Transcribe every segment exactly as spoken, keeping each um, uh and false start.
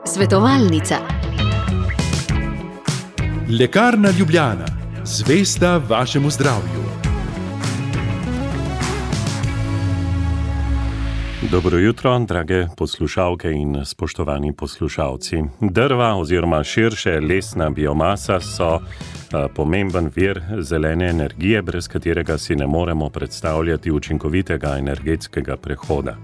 Svetovalnica. Lekarna Ljubljana, zvesta vašemu zdravju. Dobro jutro, drage poslušalke in spoštovani poslušalci. Drva oziroma širše lesna biomasa so pomemben vir zelene energije, brez katerega si ne moremo predstavljati učinkovitega energetskega prehoda.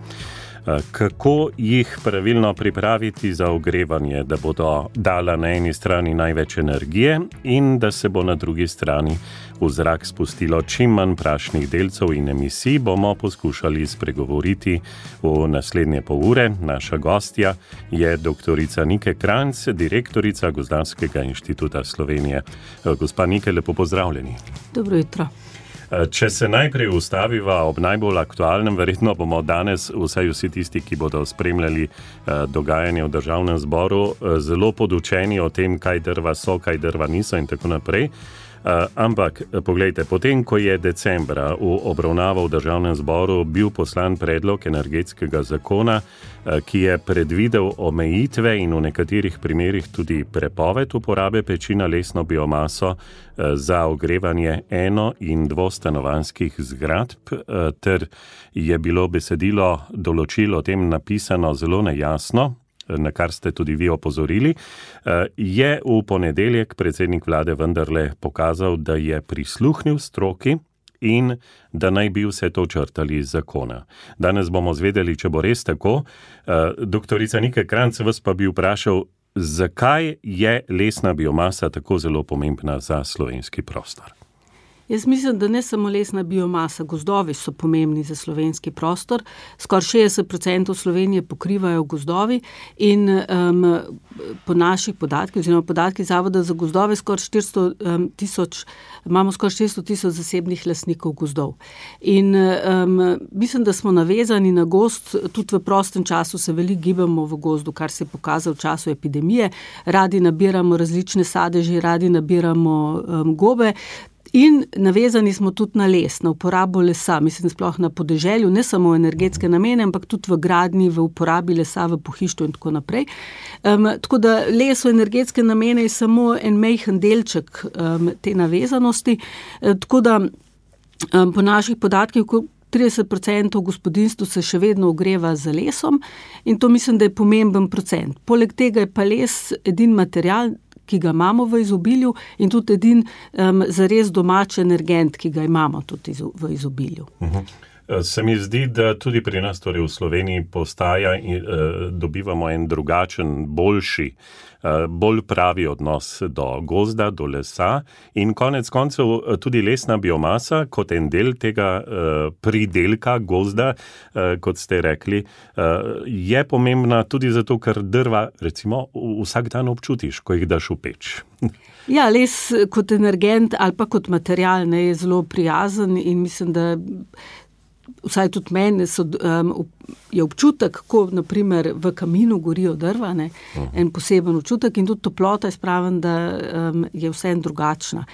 Kako jih pravilno pripraviti za ogrevanje, da bodo dala na eni strani največ energije in da se bo na drugi strani v zrak spustilo čim manj prašnih delcev in emisij, bomo poskušali spregovoriti v naslednje pol ure. Naša gostja je doktorica Nike Kranjc, direktorica Gozdarskega inštituta Slovenije. Gospa Nike, lepo pozdravljeni. Dobro jutro. Če se najprej ustaviva ob najbolj aktualnem, verjetno bomo danes, vsaj vsi tisti, ki bodo spremljali dogajanje v Državnem zboru, zelo podučeni o tem, kaj drva so, kaj drva niso in tako naprej. Ampak, poglejte, potem, ko je decembra v obravnavo v Državnem zboru bil poslan predlog energetskega zakona, ki je predvidel omejitve in v nekaterih primerih tudi prepoved uporabe peči na lesno biomaso za ogrevanje eno- in dvostanovanjskih zgradb, ter je bilo besedilo določil o tem napisano zelo nejasno, na kar ste tudi vi opozorili, je v ponedeljek predsednik vlade vendarle pokazal, da je prisluhnil stroki in da naj bi vse to črtali iz zakona. Danes bomo zvedeli, če bo res tako. Doktorica Nike Kranjc, vas pa bi vprašal, zakaj je lesna biomasa tako zelo pomembna za slovenski prostor? Jaz mislim, da ne samo lesna biomasa, gozdovi so pomembni za slovenski prostor. Skoraj šestdeset procentov Slovenije pokrivajo gozdovi in um, po naših podatkih, oziroma podatki Zavoda za gozdove, skoraj štiristo tisoč, imamo skoraj štiristo tisoč zasebnih lastnikov gozdov. In um, mislim, da smo navezani na gozd, tudi v prostem času se veliko gibamo v gozdu, kar se je pokazalo v času epidemije. Radi nabiramo različne sadeže, radi nabiramo um, gobe. In navezani smo tudi na les, na uporabo lesa, mislim sploh na podeželju, ne samo v energetske namene, ampak tudi v gradnji, v uporabi lesa, v pohištvu in tako naprej. Um, tako da les v energetske namene je samo en majhen delček um, te navezanosti. E, tako da um, po naših podatkih trideset procentov gospodinjstv se še vedno ogreva z lesom in to mislim, da je pomemben procent. Poleg tega je pa les edin material, ki ga imamo v izobilju in tudi edin um, zares domač energent, ki ga imamo tudi v izobilju. Uh-huh. Se mi zdi, da tudi pri nas, torej v Sloveniji, postaja in uh, dobivamo en drugačen, boljši, uh, bolj pravi odnos do gozda, do lesa in konec koncev tudi lesna biomasa kot en del tega uh, pridelka gozda, uh, kot ste rekli, uh, je pomembna tudi zato, ker drva recimo vsak dan občutiš, ko jih daš v peč. Ja, les kot energent ali pa kot material ne, je zelo prijazen in mislim, da vsaj tudi meni so, um, je občutek, ko naprimer v kaminu gorijo drva, ne, en poseben občutek in tudi toplota je spraven, da um, je vseeno drugačna.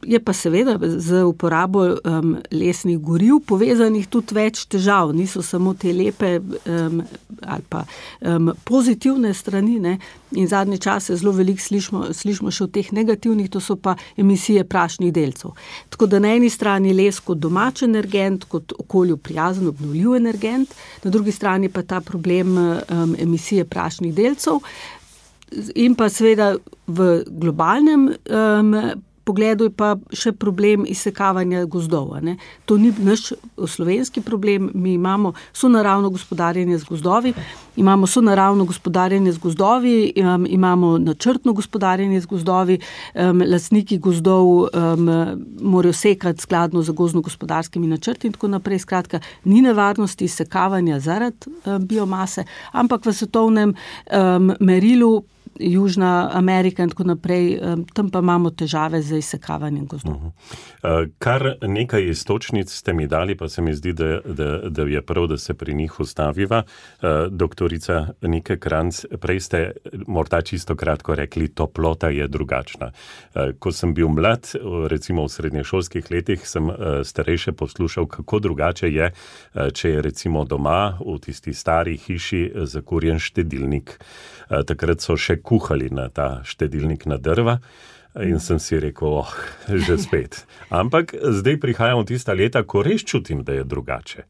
Je pa seveda z uporabo um, lesnih goriv povezanih tudi več težav, niso samo te lepe um, ali pa um, pozitivne strani, ne, in zadnje čase zelo veliko slišimo, slišimo še o teh negativnih, to so pa emisije prašnih delcev. Tako da na eni strani les kot domač energent, kot okolju prijazen, obnovljiv energent, na drugi strani pa ta problem um, emisije prašnih delcev in pa seveda v globalnem um, pogledu je pa še problem izsekavanja gozdov. Ne. To ni naš slovenski problem, mi imamo sonaravno gospodarjenje z gozdovi, imamo sonaravno gospodarjenje z gozdovi, um, imamo načrtno gospodarjenje z gozdovi, um, lastniki gozdov um, morajo sekati skladno z gozdno-gospodarskimi načrti in tako naprej. Skratka, ni nevarnosti izsekavanja zaradi um, biomase, ampak v svetovnem um, merilu Južna Amerika in tako naprej, um, tam pa imamo težave z izsekavanjem gozdov. Uh-huh. Uh, kar nekaj istočnic ste mi dali, pa se mi zdi, da, da, da je prav, da se pri njih ustaviva. Uh, doktorica Nike Kranjc, prej ste morda čisto kratko rekli, toplota je drugačna. Uh, ko sem bil mlad, recimo v srednješolskih letih, sem uh, starejše poslušal, kako drugače je, uh, če je recimo doma v tisti stari hiši zakurjen štedilnik. Uh, takrat so še kuhali na ta štedilnik na drva. In sem si rekel, oh, že spet. Ampak zdaj prihajam v tista leta, ko res čutim, da je drugače.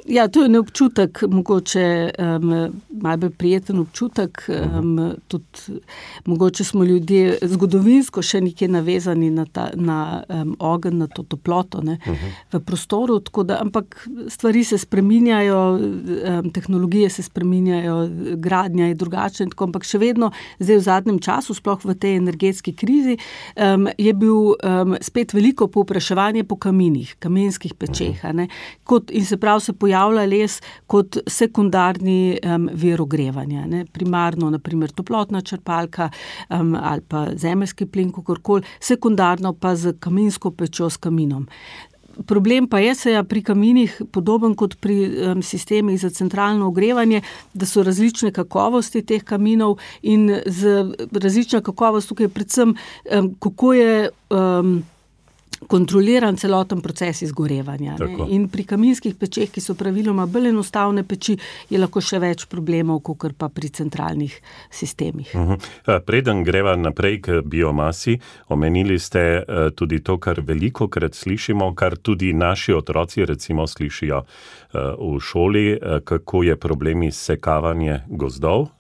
Ja, to je ne občutek, mogoče um, malo bolj prijeten občutek, um, tudi mogoče smo ljudje zgodovinsko še nekje navezani na, ta, na um, ogenj, na to toploto, ne, uh-huh. v prostoru, tako da, ampak stvari se spreminjajo, um, tehnologije se spreminjajo, gradnja je drugačna, tako, ampak še vedno zdaj v zadnjem času, sploh v tej energetski krizi, um, je bil um, spet veliko povpraševanje po kaminih, kamenskih pečeh, uh-huh. ne, kot, in se prav se pojavlja javlja les kot sekundarni um, vir ogrevanja. Ne? Primarno, naprimer, toplotna črpalka um, ali pa zemeljski plin, kakorkoli, sekundarno pa z kaminsko pečjo s kaminom. Problem pa je se ja pri kaminih podoben kot pri um, sistemih za centralno ogrevanje, da so različne kakovosti teh kaminov in z različna kakovost tukaj predvsem, um, kako je um, kontroliran celoten proces izgorevanja. Ne? In pri kaminskih pečeh, ki so praviloma bolj enostavne peči, je lahko še več problemov, kakor pa pri centralnih sistemih. Uh-huh. Preden greva naprej k biomasi, omenili ste uh, tudi to, kar velikokrat slišimo, kar tudi naši otroci recimo slišijo uh, v šoli, uh, kako je problem izsekavanje gozdov,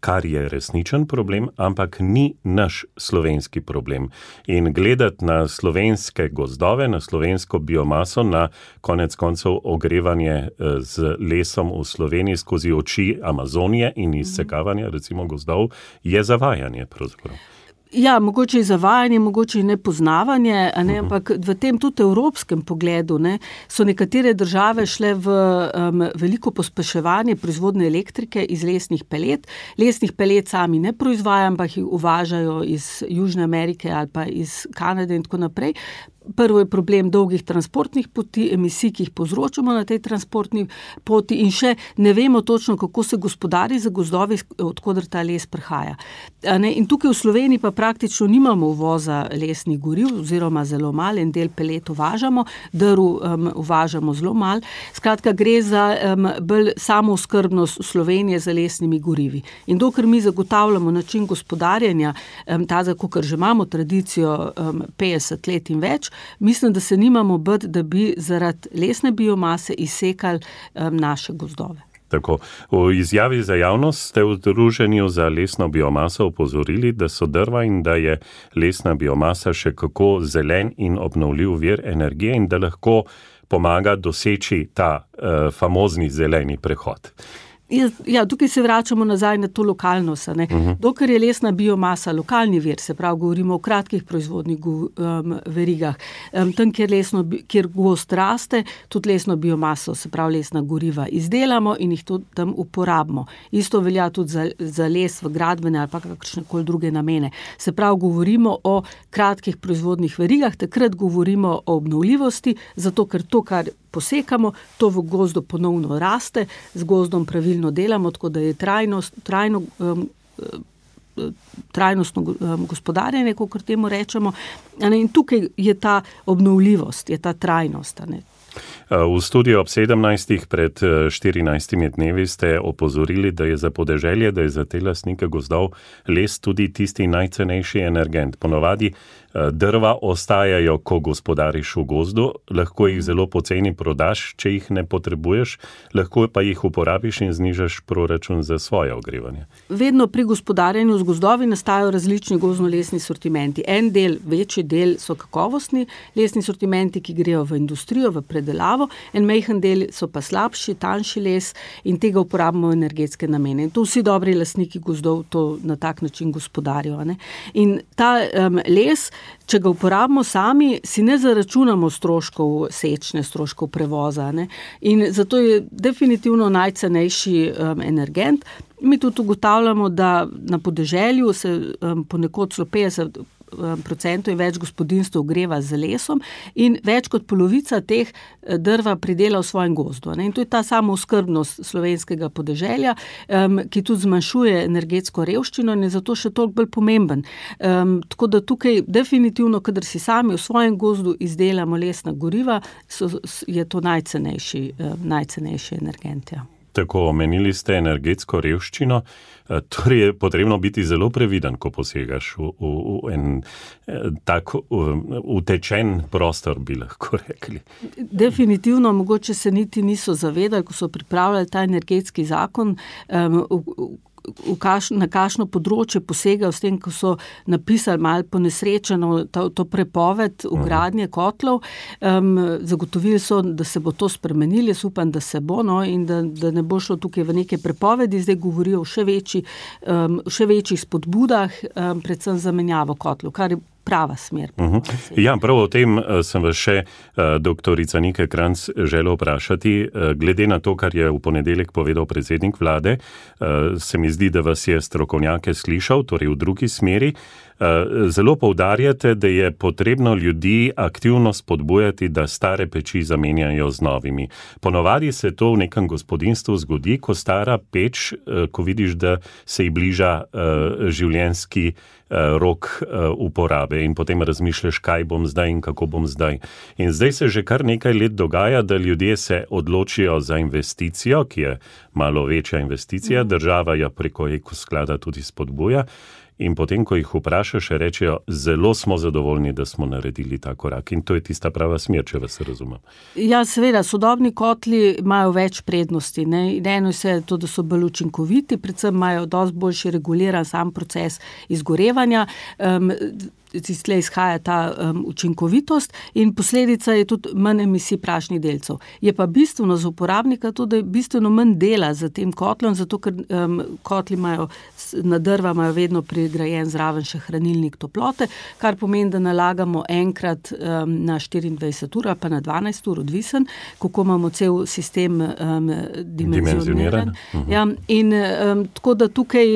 kar je resničen problem, ampak ni naš slovenski problem. In gledati na slovenske gozdove, na slovensko biomaso, na konec koncev ogrevanje z lesom v Sloveniji skozi oči Amazonije in izsekavanje recimo gozdov, je zavajanje pravzaprav. Ja, mogoče je zavajanje, mogoče je nepoznavanje, a ne, ampak v tem tudi evropskem pogledu ne, so nekatere države šle v um, veliko pospeševanje proizvodne elektrike iz lesnih pelet. Lesnih pelet sami ne proizvajajo, ampak jih uvažajo iz Južne Amerike ali pa iz Kanade in tako naprej. Prvo je problem dolgih transportnih poti, emisij, ki jih povzročamo na tej transportni poti in še ne vemo točno, kako se gospodari za gozdovi, odkoder ta les prihaja. In tukaj v Sloveniji pa praktično nimamo uvoza lesnih goriv, oziroma zelo malo, en del pelet uvažamo, drv um, uvažamo zelo malo. Skratka, gre za um, bolj samooskrbnost Slovenije za lesnimi gorivi. In dokler mi zagotavljamo način gospodarjenja, um, ta, kakor že imamo tradicijo um, petdeset let in več, mislim, da se nimamo bati, da bi zaradi lesne biomase izsekali um, naše gozdove. Tako. V izjavi za javnost ste v Združenju za lesno biomaso opozorili, da so drva in da je lesna biomasa še kako zelen in obnovljiv vir energije in da lahko pomaga doseči ta uh, famozni zeleni prehod. Ja, tukaj se vračamo nazaj na to lokalnost. Ne? Uh-huh. Dokler je lesna biomasa lokalni vir, se pravi, govorimo o kratkih proizvodnih um, verigah, um, tam, kjer, lesno, kjer gost raste, tudi lesno biomaso, se pravi, lesna goriva izdelamo in jih tudi tam uporabimo. Isto velja tudi za, za les v gradbene ali pa kakršnekoli druge namene. Se pravi, govorimo o kratkih proizvodnih verigah, takrat govorimo o obnovljivosti, zato ker to, kar posekamo, to v gozdu ponovno raste, z gozdom pravilno delamo, tako da je trajnost, trajno, um, trajnostno um, gospodarjenje, kakor temu rečemo. In tukaj je ta obnovljivost, je ta trajnost. Ne? V studiu ob sedemnajstih pred štirinajstimi dnevi ste opozorili, da je za podeželje, da je za te lastnike gozdov les tudi tisti najcenejši energent. Ponovadi drva ostajajo, ko gospodariš v gozdu, lahko jih zelo poceni prodaš, če jih ne potrebuješ, lahko pa jih uporabiš in znižaš proračun za svoje ogrevanje. Vedno pri gospodarjenju z gozdovi nastajajo različni gozdno-lesni sortimenti. En del, večji del so kakovostni lesni sortimenti, ki grejo v industrijo, v predelavo, en majhen del so pa slabši, tanjši les in tega uporabimo v energetske namene. In to vsi dobri lastniki gozdov to na tak način gospodarijo. Ne? In ta um, les, če ga uporabimo sami, si ne zaračunamo stroškov sečne, stroškov prevoza. Ne? In zato je definitivno najcenejši um, energent. Mi tudi ugotavljamo, da na podeželju se um, ponekod celo petdeset procentov in več gospodinjstev ogreva z lesom in več kot polovica teh drva pridela v svojem gozdu. Ne? In to je ta samooskrbnost slovenskega podeželja, um, ki tudi zmanjšuje energetsko revščino in je zato še toliko bolj pomemben. Um, tako da tukaj definitivno, kadar si sami v svojem gozdu izdelamo lesna goriva, so, je to najcenejši, um, najcenejši energent. Ja. Tako, omenili ste energetsko revščino, torej je potrebno biti zelo previden, ko posegaš v, v, v en tak utečen prostor, bi lahko rekli. Definitivno, mogoče se niti niso zavedali, ko so pripravljali ta energetski zakon, um, v, v kaš, na kakšno področje posegajo s tem, ko so napisali malo ponesrečeno to, to prepoved vgradnje kotlov. Um, zagotovili so, da se bo to spremenili, jaz upam, da se bo, no, in da, da ne bo šlo tukaj v neke prepovedi, zdaj govorijo o še, večji, um, še večjih spodbudah, um, predvsem za menjavo kotlov, kar je prava smer. Uh-huh. Ja, prav o tem sem vas še uh, doktorica Nike Kranjc želel vprašati. Uh, glede na to, kar je v ponedeljek povedal predsednik vlade, uh, se mi zdi, da vas je strokovnjake slišal, torej v drugi smeri. Uh, zelo poudarjate, da je potrebno ljudi aktivno spodbujati, da stare peči zamenjajo z novimi. Ponovadi se to v nekem gospodinjstvu zgodi, ko stara peč, uh, ko vidiš, da se ji bliža uh, življenjski uh, rok uh, uporabe in potem razmišljaš, kaj bom zdaj in kako bom zdaj. In zdaj se že kar nekaj let dogaja, da ljudje se odločijo za investicijo, ki je malo večja investicija, država jo preko ekosklada tudi spodbuja. In potem, ko jih vprašaš, rečejo, zelo smo zadovoljni, da smo naredili ta korak. In to je tista prava smer, če vas razumem. Ja, seveda, sodobni kotli imajo več prednosti. Ne? Eno je to, da so bolj učinkoviti, predvsem imajo dosti boljši reguliran sam proces izgorevanja. Um, Tle izhaja ta um, učinkovitost in posledica je tudi manj emisij prašnih delcev. Je pa bistveno za uporabnika tudi, da je bistveno manj dela za tem kotlom, zato ker um, kotli imajo, na drva imajo vedno prigrajen zraven še hranilnik toplote, kar pomeni, da nalagamo enkrat um, na štiriindvajset ur, pa na dvanajst ur, odvisen, kako imamo cel sistem um, dimenzioniran. Uh-huh. Ja, in um, tako da tukaj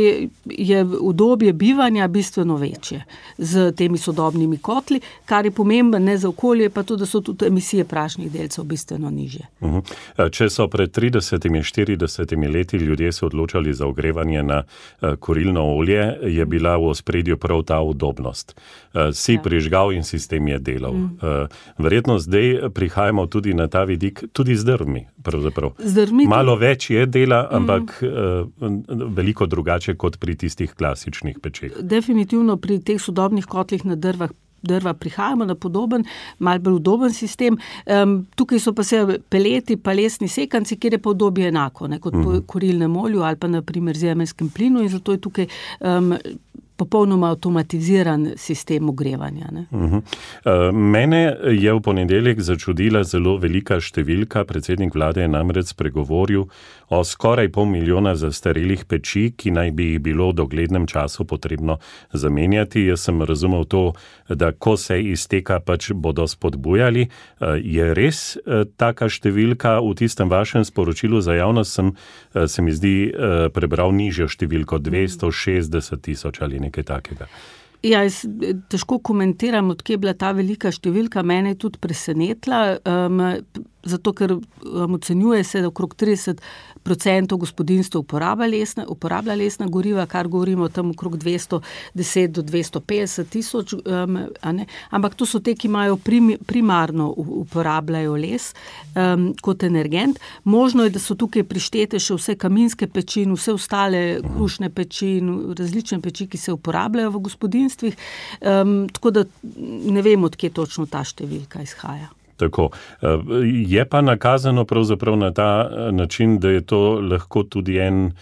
je udobje bivanja bistveno večje z tem sodobnimi kotli, kar je pomemben ne za okolje, pa tudi, da so tudi emisije prašnih delcev bistveno nižje. Uh-huh. Če so pred tridesetimi, štiridesetimi leti ljudje se odločali za ogrevanje na uh, kurilno olje, je bila v ospredju prav ta udobnost. Uh, si ja. prižgal in sistem je delal. Mm. Uh, verjetno zdaj prihajamo tudi na ta vidik, tudi z drvmi, pravzaprav. Z drvmi Malo več je dela, ampak mm. uh, veliko drugače kot pri tistih klasičnih pečeh. Definitivno pri teh sodobnih kotlih na drvah, drva prihajamo na podoben, malo bolj udoben sistem. Um, tukaj so pa se peleti, pa lesni sekanci, kjer je pa udobje enako, ne, kot po kurilnem olju ali pa na primer zemeljskem plinu in zato je tukaj um, popolnoma avtomatiziran sistem ogrevanja. Ne? Uh-huh. Uh, mene je v ponedeljek začudila zelo velika številka. Predsednik vlade je namreč spregovoril o skoraj pol milijona zastarelih peči, ki naj bi jih bilo v doglednem času potrebno zamenjati. Jaz sem razumel to, da ko se izteka, pač bodo spodbujali. Uh, je res uh, taka številka? V tistem vašem sporočilu za javnost sem, uh, se mi zdi, uh, prebral nižjo številko, dvesto šestdeset tisoč ali nekaj takega. Ja, jaz težko komentiram, odkje je bila ta velika številka, mene je tudi presenetila, um, zato ker um, ocenjuje se, da okrog trideset procentov gospodinjstev uporablja lesna, uporablja lesna goriva, kar govorimo tam okrog dvesto deset do dvesto petdeset tisoč, um, a ne? Ampak to so te, ki imajo prim, primarno uporabljajo les um, kot energent. Možno je, da so tukaj prištete še vse kaminske peči in vse ostale krušne peči in različne peči, ki se uporabljajo v gospodinjstvih, um, tako da ne vem, odkje točno ta številka izhaja. Tako. Je pa nakazano pravzaprav na ta način, da je to lahko tudi en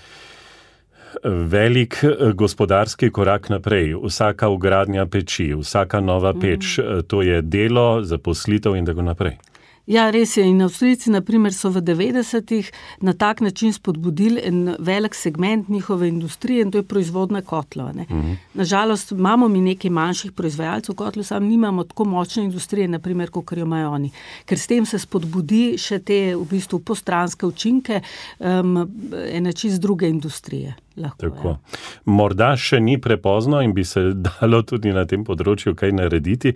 velik gospodarski korak naprej. Vsaka vgradnja peči, vsaka nova peč, to je delo, zaposlitev in tako naprej. Ja, res je. In Avstrijci, na primer, so v devetdesetih na tak način spodbudili en velik segment njihove industrije in to je proizvodna kotlov. Uh-huh. Nažalost, imamo mi nekaj manjših proizvajalcev kotlov, sam nimamo tako močne industrije, na primer, kot jo imajo oni. Ker s tem se spodbudi še te v bistvu postranske učinke um, ene čist druge industrije. Lahko, Tako. Ja. Morda še ni prepozno in bi se dalo tudi na tem področju kaj narediti.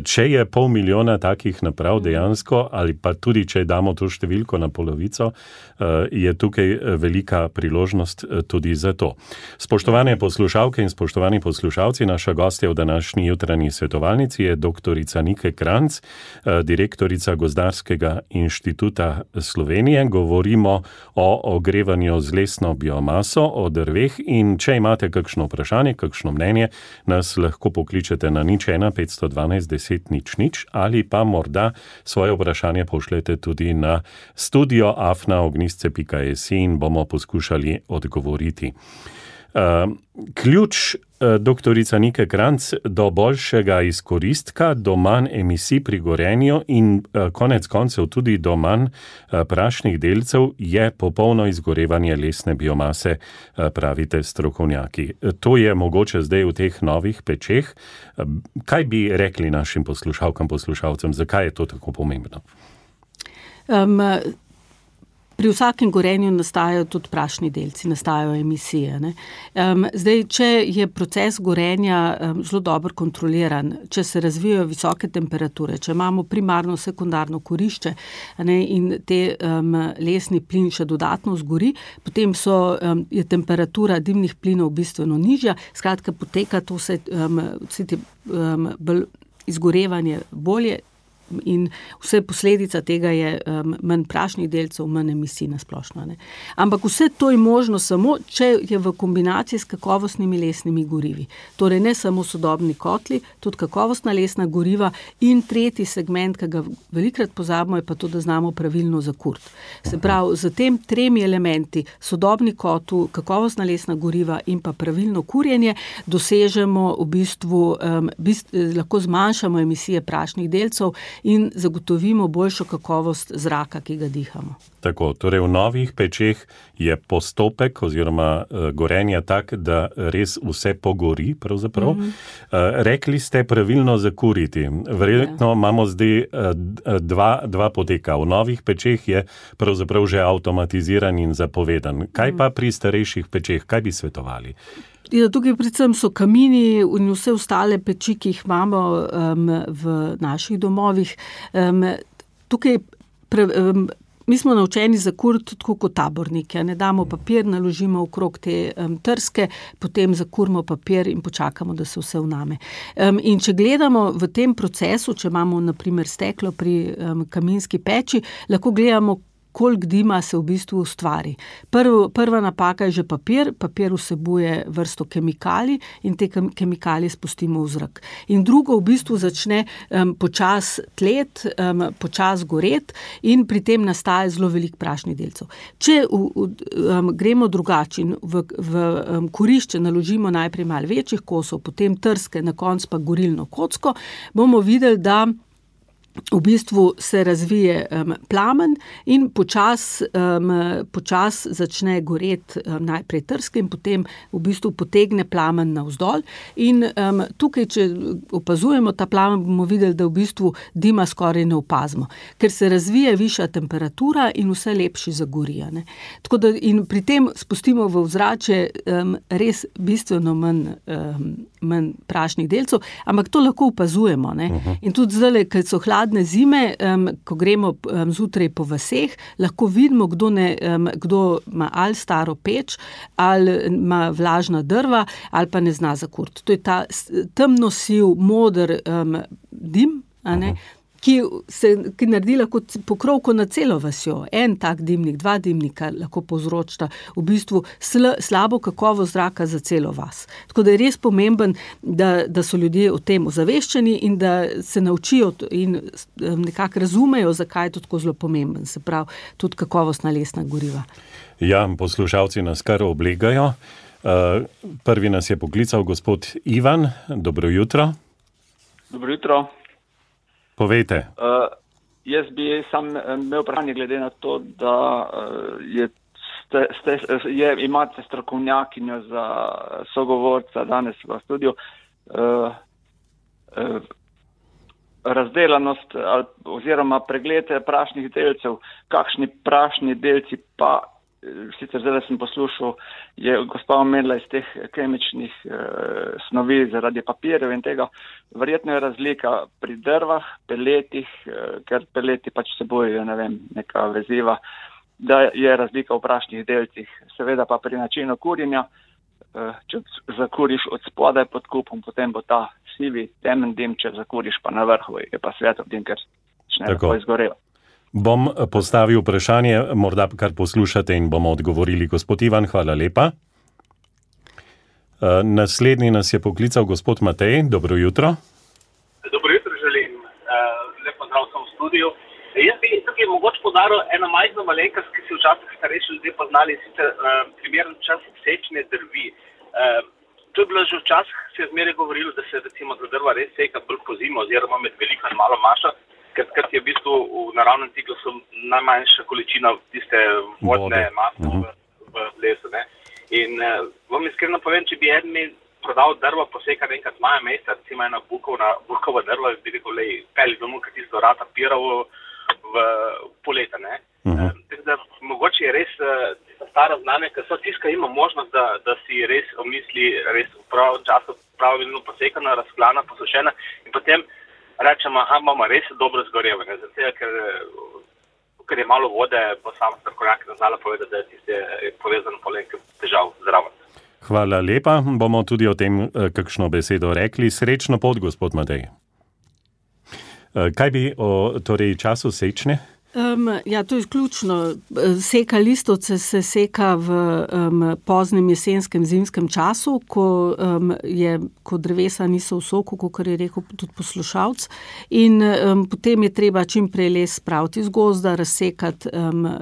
Če je pol milijona takih naprav dejansko, ali pa tudi, če damo to številko na polovico, je tukaj velika priložnost tudi za to. Spoštovane poslušalke in spoštovani poslušalci, naša gostja v današnji jutranji svetovalnici je doktorica Nike Kranjc, direktorica Gozdarskega inštituta Slovenije. Govorimo o ogrevanju z lesno biomaso, o drveh in če imate kakšno vprašanje, kakšno mnenje, nas lahko pokličete na nič ena petsto dvanajst deset nič nič ali pa morda svoje vprašanje pošljete tudi na studio afna ognjisce pika es in bomo poskušali odgovoriti. Uh, ključ, uh, doktorica Nike Kranjc, do boljšega izkoristka, do manj emisij pri gorenju in uh, konec koncev tudi do manj uh, prašnih delcev je popolno izgorevanje lesne biomase, uh, pravite strokovnjaki. To je mogoče zdaj v teh novih pečeh. Uh, kaj bi rekli našim poslušalkam, poslušalcem, zakaj je to tako pomembno? Um, Pri vsakem gorenju nastajajo tudi prašni delci, nastajajo emisije. Ne? Um, zdaj, če je proces gorenja um, zelo dobro kontroliran, če se razvijajo visoke temperature, če imamo primarno, sekundarno kurišče, ne, in te um, lesni plin še dodatno zgori, potem so, um, je temperatura dimnih plinov bistveno nižja, skratka poteka to vse, um, vse te, um, bolj izgorevanje bolje, in vse posledica tega je um, manj prašnih delcev, manj emisij na splošno. Ne. Ampak vse to je možno samo, če je v kombinaciji s kakovostnimi lesnimi gorivi. Torej ne samo sodobni kotli, tudi kakovostna lesna goriva in tretji segment, ki ga velikrat pozabimo, je pa to, da znamo pravilno zakuriti. Se pravi, z tem tremi elementi, sodobni kotel, kakovostna lesna goriva in pa pravilno kurjenje, dosežemo v bistvu, um, bist, lahko zmanjšamo emisije prašnih delcev in zagotovimo boljšo kakovost zraka, ki ga dihamo. Tako, torej v novih pečeh je postopek oziroma uh, gorenja tak, da res vse pogori pravzaprav. Mm-hmm. Uh, rekli ste pravilno zakuriti. Verjetno ja. imamo zdaj uh, dva, dva poteka. V novih pečeh je pravzaprav že avtomatiziran in zapovedan. Kaj mm. pa pri starejših pečeh? Kaj bi svetovali? Ja, tukaj predvsem so kamini in vse ostale peči, ki jih imamo um, v naših domovih. Um, tukaj pre, um, mi smo naučeni zakuriti tako kot tabornike. Ne damo papir, naložimo okrog te um, trske, potem zakurimo papir in počakamo, da se vse vname. Um, in če gledamo v tem procesu, če imamo na primer steklo pri um, kaminski peči, lahko gledamo, koliko dima se v bistvu ustvari. Prvo, prva napaka je že papir, papir vsebuje vrsto kemikalij in te kemikalije spustimo v zrak. In drugo v bistvu začne um, počas tlet, um, počas goret in pri tem nastaja zelo velik prašnih delcev. Če v, v, um, gremo drugače in v, v um, kurišče naložimo najprej malo večjih kosov, potem trske, na koncu pa gorilno kocko, bomo videli, da v bistvu se razvije um, plamen in počas, um, počas začne goreti um, najprej trske in potem v bistvu potegne plamen navzdol. In um, tukaj, če opazujemo ta plamen, bomo videli, da v bistvu dima skoraj ne opazimo, ker se razvije višja temperatura in vse lepši zagorija. Ne. Tako da in pri tem spustimo v ozračje um, res bistveno manj, um, manj prašnih delcev, ampak to lahko opazujemo. Ne. Uh-huh. In tudi zdaj, ker so hladne zime, um, ko gremo um, zjutraj po vaseh, lahko vidimo, kdo, ne, um, kdo ima ali staro peč, ali ima vlažna drva, ali pa ne zna zakuriti. To je ta temno siv, moder um, dim, a ne, uh-huh. ki se ki naredi lahko pokrovko na celo vasjo. En tak dimnik, dva dimnika lahko povzročita v bistvu sl, slabo kakovost zraka za celo vas. Tako da je res pomemben, da, da so ljudje o tem ozaveščeni in da se naučijo in nekako razumejo, zakaj je to tako zelo pomemben. Se pravi, tudi kakovostna lesna goriva. Ja, poslušalci nas kar oblegajo. Uh, prvi nas je poklical gospod Ivan. Dobro jutro. Dobro jutro. Povejte. Uh, jaz bi sam imel vprašanje glede na to, da je, ste, ste, je, imate strokovnjakinjo za sogovorca danes v studiu. Uh, uh, razdelanost oziroma pregled prašnih delcev, kakšni prašni delci pa, sicer zdaj sem poslušal, je gospa omenila iz teh kemičnih eh, snovi zaradi papirjev in tega, verjetno je razlika pri drvah, peletih, eh, ker peleti pač vsebujejo, ne vem, neka veziva, da je razlika v prašnih delcih, seveda pa pri načinu kurjenja, eh, če zakuriš od spodaj pod kupom, potem bo ta sivi temen dim, če zakuriš pa na vrhu, je pa svetlo dim, ker začne tako izgoreva. Bom postavil vprašanje, morda kar poslušate in bomo odgovorili. Gospod Ivan, hvala lepa. Uh, naslednji nas je poklical gospod Matej. Dobro jutro. Dobro jutro želim. Uh, lep pozdrav sem v studiu. Jaz bi tukaj mogoče podaril eno majhno malenkost, ki si včasih starejši ljudje poznali, sicer uh, primeren čas sečne drvi. Uh, to je bilo že včasih, se je zmeraj govorilo, da se recimo za drva res seka bolj po zimo oziroma med veliko in malo mašo, ker je v bistvu v naravnem ciklusu najmanjša količina tiste vodne mase v, v lesu. Ne? In uh, vam iskreno povem, če bi eden mi prodal drva posekati enkrat maja meseca, recimo ena bukovna, bukova drva, bi rekel, lej, peli domov, ker tisto rata piravo v poleta. Ne? Uh-huh. Uh, da, mogoče je res uh, stara znanje, ker so tiska ima možnost, da, da si res omisli res v pravem času pravilno posekana, razklana, posušena in potem rečemo, aha, imamo res dobro zgorevanje, zato ker, ker je malo vode, bo sam strokovnjak znala povedati, da je tiste povezano polenke težav zraven. Hvala lepa, bomo tudi o tem kakšno besedo rekli. Srečno pot, gospod Matej. Kaj bi o torej času sečne? Um, ja, to je ključno. Seka listovce se seka v um, poznem jesenskem, zimskem času, ko, um, je, ko drevesa niso v soku, kot je rekel tudi poslušalc. In um, potem je treba čim prej les spraviti iz gozda, razsekati, um,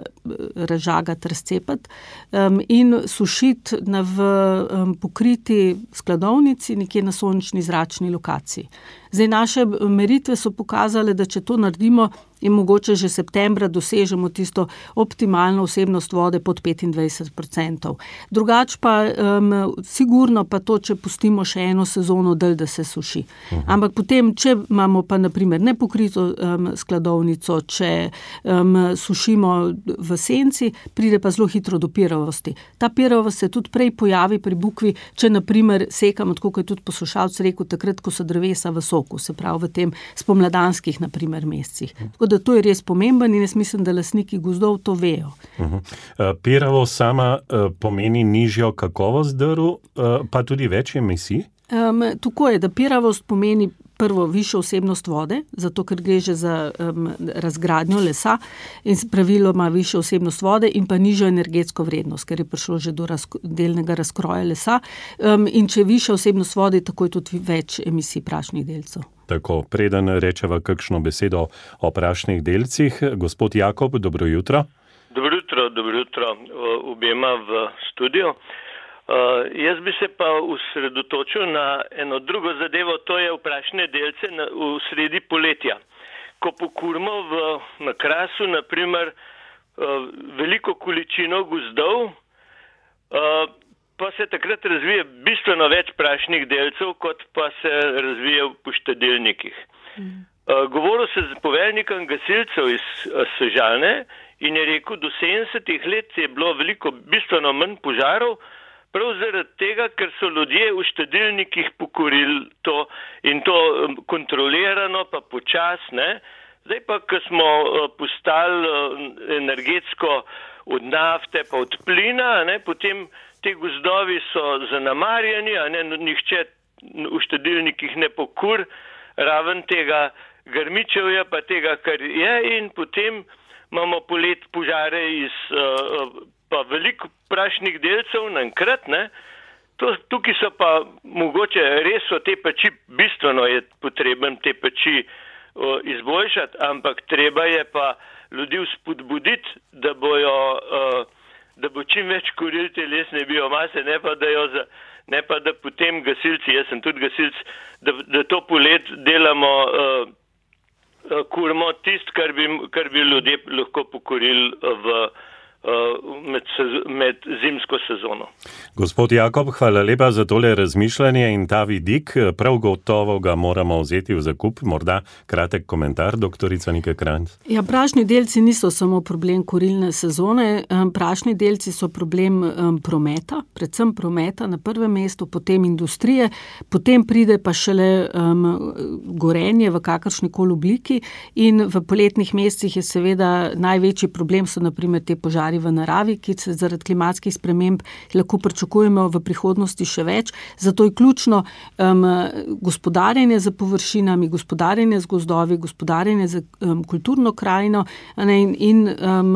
razžagati, razcepati um, in sušiti na v um, pokriti skladovnici, nekje na sončni zračni lokaciji. Zdaj, naše meritve so pokazale, da če to naredimo, in mogoče že septembra dosežemo tisto optimalno vsebnost vode pod petindvajset odstotkov. Drugač pa um, sigurno pa to, če pustimo še eno sezono dalj, da se suši. Uh-huh. Ampak potem, če imamo pa naprimer nepokrito um, skladovnico, če um, sušimo v senci, pride pa zelo hitro do piravosti. Ta piravost se tudi prej pojavi pri bukvi, če naprimer sekamo, tako kot je tudi poslušalec rekel, takrat, ko so drevesa v soku, se pravi v tem spomladanskih naprimer mesecih. Tako da to je res pomemben in jaz mislim, da lastniki gozdov to vejo. Uh-huh. Uh, piravost sama uh, pomeni nižjo kakovost drv, uh, pa tudi več emisij? Um, tako je, da piravost pomeni prvo višjo vsebnost vode, zato ker gre že za um, razgradnjo lesa in praviloma višjo vsebnost vode in pa nižjo energetsko vrednost, ker je prišlo že do razko- delnega razkroja lesa. Um, in če je višja vsebnost vode, tako je tudi več emisij prašnih delcev. Tako, preden rečeva kakšno besedo o prašnih delcih. Gospod Jakob, dobro jutro. Dobro jutro, dobro jutro obema v studiu. Uh, jaz bi se pa usredotočil na eno drugo zadevo, to je prašne delce na, v sredi poletja. Ko pokurimo v, na Krasu, naprimer, uh, veliko količino gozdov, uh, pa se takrat razvije bistveno več prašnih delcev, kot pa se razvije v poštedelnikih. Mm. Uh, govoril se z poveljnikom gasilcev iz uh, Sežane in je rekel, do sedemdesetih let je bilo veliko bistveno manj požarov, prav zaradi tega, ker so ljudje v štedilnikih pokurili to in to kontrolirano, pa počasne. Zdaj pa, ko smo postali energetsko od nafte, pa od plina, ne, potem te gozdovi so zanemarjeni, a ne, nihče v štedilnikih ne pokur, raven tega grmičevja, pa tega, kar je, in potem imamo polet požare iz uh, pa veliko prašnih delcev naenkrat, ne. To, tukaj so pa mogoče res so te peči, bistveno je potreben te peči uh, izboljšati, ampak treba je pa ljudi vzpodbuditi, da bojo, uh, da bo čim več kurili te lesne biomase, ne pa da jo za, ne pa da potem gasilci, jaz sem tudi gasilc, da, da to polet delamo uh, kurimo tisto, kar bi, kar bi ljudje lahko pokorili v Med, med zimsko sezono. Gospod Jakob, hvala lepa za tole razmišljanje in ta vidik. Prav gotovo ga moramo vzeti v zakup. Morda kratek komentar, doktorica Nika Krajnc. Ja, prašni delci niso samo problem kurilne sezone. Prašni delci so problem prometa, predvsem prometa na prvem mestu, potem industrije, potem pride pa šele um, gorenje v kakršnikoli obliki in v poletnih mesecih je seveda največji problem so na primer te požari v naravi, ki se zaradi klimatskih sprememb lahko pričakujemo v prihodnosti še več. Zato je ključno um, gospodarjenje z površinami, gospodarjenje z gozdovi, gospodarjenje z um, kulturno krajino ne, in, in um,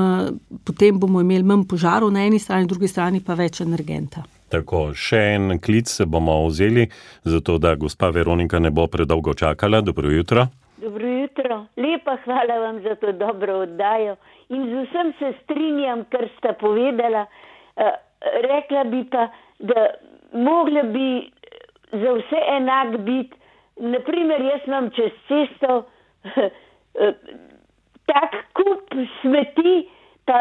potem bomo imeli manj požarov na eni strani, na drugi strani pa več energenta. Tako, še en klic bomo vzeli, zato da gospa Veronika ne bo predolgo čakala. Dobro jutro. Dobro jutro. Lepa hvala vam za to dobro oddajo. In z vsem se strinjam, kar sta povedala. Uh, rekla bi pa, da mogla bi za vse enak biti. Naprimer, jaz imam čez cesto uh, tak kup smeti, pa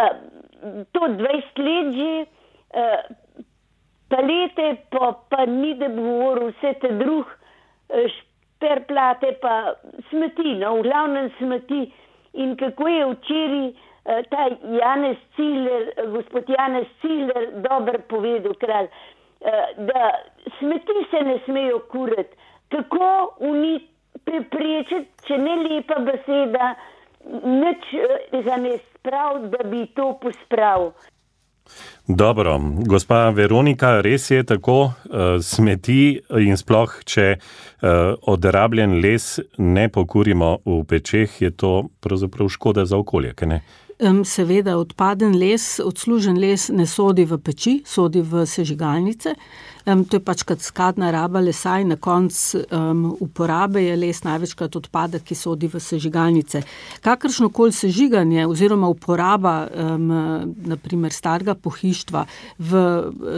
to dvajset let že, uh, palete, pa, pa ni da bi govoril vse te druh, uh, šperplate, pa smeti, no, v glavnem smeti. In kako je včeraj ta Janez Cigler, gospod Janez Cigler, dober povedal kralj, da smeti se ne smejo kurati. Kako uni preprečiti, če ne lepa beseda, nič ga ne sprav, da bi to pospravil. Dobro, gospa Veronika, res je tako, smeti in sploh, če odrabljen les ne pokurimo v pečeh, je to pravzaprav škoda za okolje, kaj ne? Seveda, odpaden les, odslužen les ne sodi v peči, sodi v sežigalnice. Um, to je pač kaskadna raba lesa in na koncu um, uporabe je les največkrat odpadek, ki sodi v sežigalnice. Kakršnokoli sežiganje oziroma uporaba um, naprimer starega pohištva v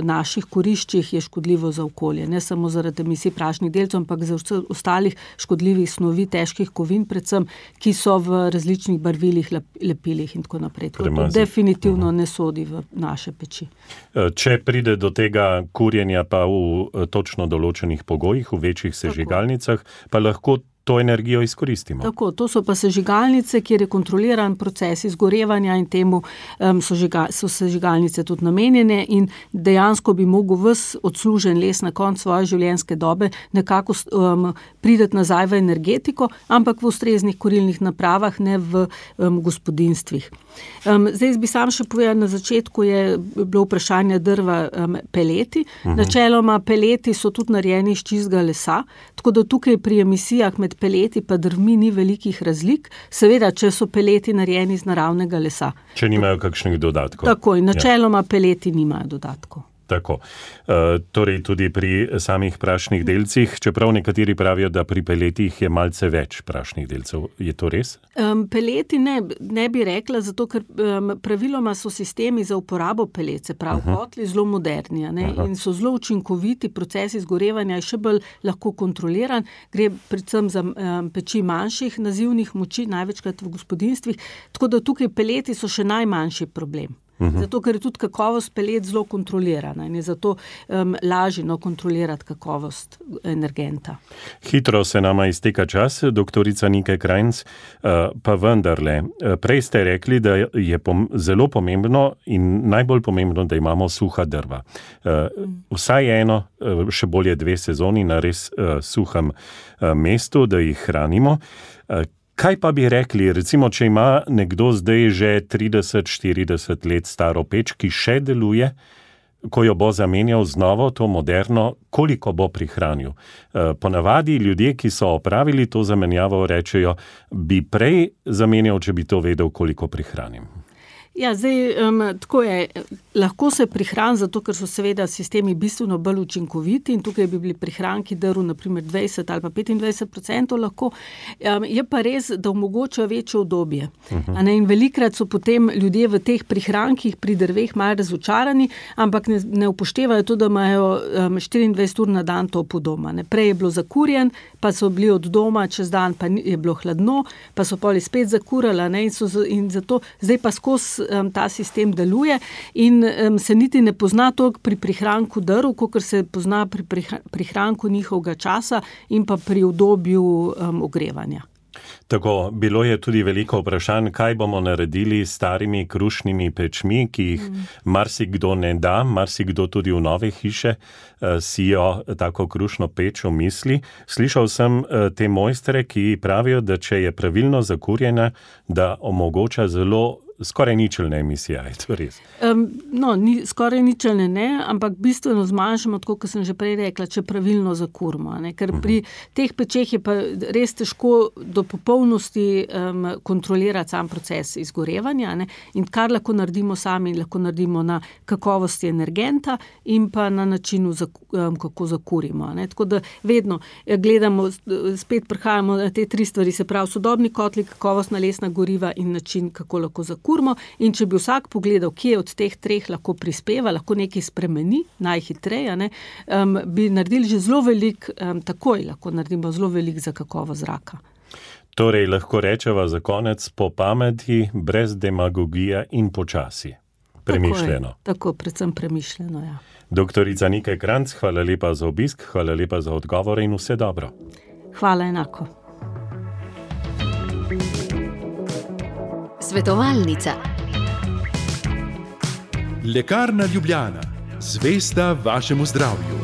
naših kuriščih je škodljivo za okolje. Ne samo zaradi emisij prašnih delcev, ampak za ostalih škodljivih snovi, težkih kovin predvsem, ki so v različnih barvilih, lepilih in tako naprej. To definitivno uh-huh. ne sodi v naše peči. Če pride do tega kurjenja pa v točno določenih pogojih, v večjih sežigalnicah, pa lahko to energijo izkoristimo. Tako, to so pa sežigalnice, kjer je kontroliran proces izgorevanja in temu um, so, žiga, so sežigalnice tudi namenjene in dejansko bi mogel ves odslužen les na koncu svoje življenjske dobe nekako um, prideti nazaj v energetiko, ampak v ustreznih kurilnih napravah, ne v um, gospodinstvih. Um, zdaj bi sam še povedal, na začetku je bilo vprašanje drva um, peleti. Uh-huh. Načeloma peleti so tudi narejeni iz čistega lesa, tako da tukaj pri emisijah med peleti pa drvmi ni velikih razlik, seveda, če so peleti narejeni iz naravnega lesa. Če nimajo kakšnih dodatkov. Tako, in načeloma ja. peleti nimajo dodatkov. Tako. E, torej tudi pri samih prašnih delcih, čeprav nekateri pravijo, da pri peletih je malce več prašnih delcev. Je to res? Um, peleti ne, ne bi rekla, zato ker um, praviloma so sistemi za uporabo pelet, se pravi uh-huh. kotli, zelo moderni ne? Uh-huh. in so zelo učinkoviti, proces izgorevanja je še bolj lahko kontroliran, gre predvsem za um, peči manjših nazivnih moči, največkrat v gospodinstvih, tako da tukaj peleti so še najmanjši problem. Zato, ker je tudi kakovost pelet zelo kontrolirana in je zato um, lažje no, kontrolirati kakovost energenta. Hitro se nama izteka čas, doktorica Nika Krajnc, uh, pa vendarle. Prej ste rekli, da je pom- zelo pomembno in najbolj pomembno, da imamo suha drva. Uh, vsaj eno, uh, še bolje dve sezoni na res uh, suhem uh, mestu, da jih hranimo. Uh, Kaj pa bi rekli, recimo, če ima nekdo zdaj že trideset štirideset let staro peč, ki še deluje, ko jo bo zamenjal z novo, to moderno, koliko bo prihranil? Ponavadi ljudje, ki so opravili to zamenjavo, rečejo, bi prej zamenjal, če bi to vedel, koliko prihranim. Ja, zdaj, um, tako je, lahko se prihrani, zato ker so seveda sistemi bistveno bolj učinkoviti in tukaj bi bili prihranki drv, naprimer dvajset ali pa petindvajset procentov lahko, um, je pa res, da omogočajo večje udobje. Uh-huh. A ne, in velikrat so potem ljudje v teh prihrankih pri drveh malo razočarani, ampak ne, ne upoštevajo to, da imajo um, štiriindvajset ur na dan topo doma. Ne. Prej je bilo zakurjen, pa so bili od doma, čez dan pa je bilo hladno, pa so poli spet zakurali, ne, in, so, in zato zdaj pa skozi Um, ta sistem deluje in um, se niti ne pozna toliko pri prihranku drv, kakor se pozna pri prihranku njihovega časa in pa pri udobju um, ogrevanja. Tako, bilo je tudi veliko vprašanj, kaj bomo naredili s starimi krušnimi pečmi, ki jih mm. marsikdo ne da, marsikdo tudi v nove hiše uh, sijo tako krušno peč v misli. Slišal sem uh, te mojstre, ki pravijo, da če je pravilno zakurjena, da omogoča zelo skoraj ničelne emisije, je to res? Um, no, ni, skoraj ničelne ne, ampak bistveno zmanjšamo, tako kot sem že prej rekla, če pravilno zakurimo. Ne? Ker pri uh-huh. teh pečeh je pa res težko do popolnosti um, kontrolirati sam proces izgorevanja, ne? In kar lahko naredimo sami, lahko naredimo na kakovosti energenta in pa na načinu, um, kako zakurimo. Ne? Tako da vedno gledamo, spet prihajamo na te tri stvari, se pravi sodobni kotli, kakovostna lesna goriva in način, kako lahko zakurimo. In če bi vsak pogledal, kje od teh treh lahko prispeva, lahko nekaj spremeni, najhitreje, ne, um, bi naredili že zelo velik, um, takoj lahko naredimo zelo velik za kakovo zraka. Torej, lahko rečeva za konec po pameti, brez demagogije in počasi. Premišljeno. Tako, tako predvsem premišljeno, ja. Doktorica Nika Kranjc, hvala lepa za obisk, hvala lepa za odgovore in vse dobro. Hvala enako. Svetovalnica. Lekarna Ljubljana. Zvesta vašemu zdravju.